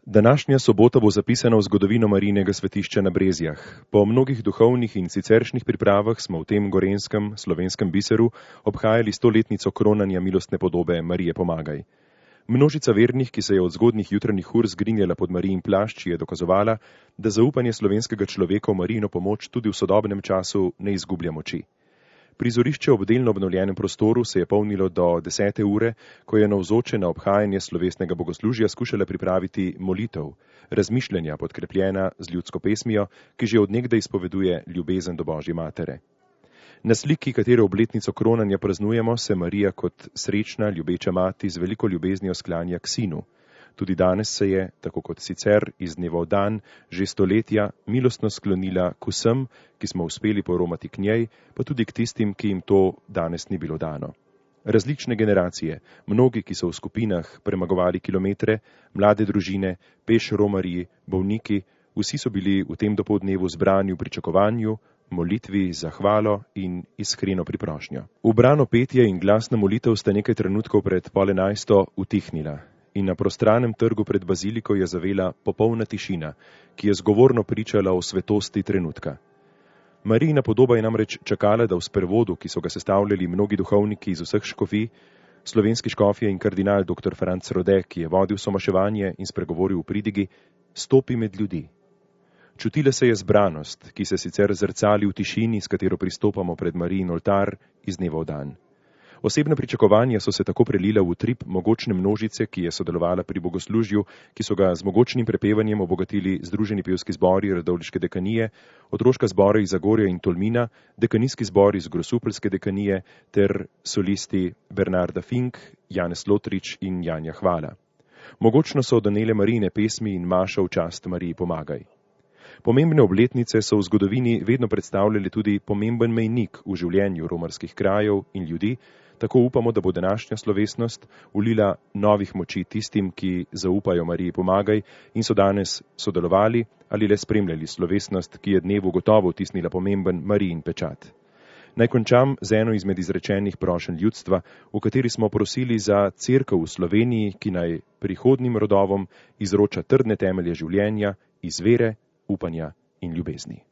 Današnja sobota bo zapisana v zgodovino Marijinega svetišča na Brezjah. Po mnogih duhovnih in siceršnjih pripravah smo v tem gorenskem, slovenskem biseru obhajali 100-letnico kronanja milostne podobe Marije Pomagaj. Množica vernih, ki se je od zgodnjih jutranjih ur zgrinjala pod Marijin plašč, je dokazovala, da zaupanje slovenskega človeka v Marijino pomoč tudi v sodobnem času ne izgublja moči. Prizorišče ob delno obnovljenem prostoru se je polnilo do 10. ure, ko je navzoče na obhajanje slovesnega bogoslužja skušala pripraviti molitev, razmišljanja podkrepljena z ljudsko pesmijo, ki že od nekdaj izpoveduje ljubezen do Božje matere. Na sliki, katere obletnico kronanja praznujemo, se Marija kot srečna, ljubeča mati z veliko ljubeznijo sklanja k sinu. Tudi danes se je, tako kot sicer, iz dneva v dan, že stoletja, milostno sklonila k vsem, ki smo uspeli poromati k njej, pa tudi k tistim, ki jim to danes ni bilo dano. Različne generacije, mnogi, ki so v skupinah premagovali kilometre, mlade družine, peš romarji, bolniki, vsi so bili v tem dopoldnevu zbrani v pričakovanju, molitvi, zahvalo in iskreno priprošnjo. Ubrano petje in glasna molitev sta nekaj trenutkov pred 10:30 utihnila. In na prostranem trgu pred baziliko je zavela popolna tišina, ki je zgovorno pričala o svetosti trenutka. Marijina podoba je namreč čakala, da v sprevodu, ki so ga sestavljali mnogi duhovniki iz vseh škofij, slovenski škofje in kardinal dr. Franc Rode, ki je vodil somaševanje in spregovoril v pridigi, stopi med ljudi. Čutila se je zbranost, ki se sicer zrcali v tišini, s katero pristopamo pred Marijin oltar iz dneva v dan. Osebna pričakovanja so se tako prelila v utrip mogočne množice, ki je sodelovala pri bogoslužju, ki so ga z mogočnim prepevanjem obogatili Združeni pevski zbori Radovljiške dekanije, otroška zbora iz Zagorja in Tolmina, dekanijski zbor iz Grosupeljske dekanije ter solisti Bernarda Fink, Janez Lotrič in Janja Hvala. Mogočno so donele Marijine pesmi in maša v čast Mariji Pomagaj. Pomembne obletnice so v zgodovini vedno predstavljali tudi pomemben mejnik v življenju romarskih krajev in ljudi, tako upamo, da bo današnja slovesnost ulila novih moči tistim, ki zaupajo Mariji Pomagaj in so danes sodelovali ali le spremljali slovesnost, ki je dnevu gotovo vtisnila pomemben Marijin pečat. Naj končam z eno izmed izrečenih prošenj ljudstva, v kateri smo prosili za cerkev v Sloveniji, ki naj prihodnim rodovom izroča trdne temelje življenja iz vere, upanja in ljubezni.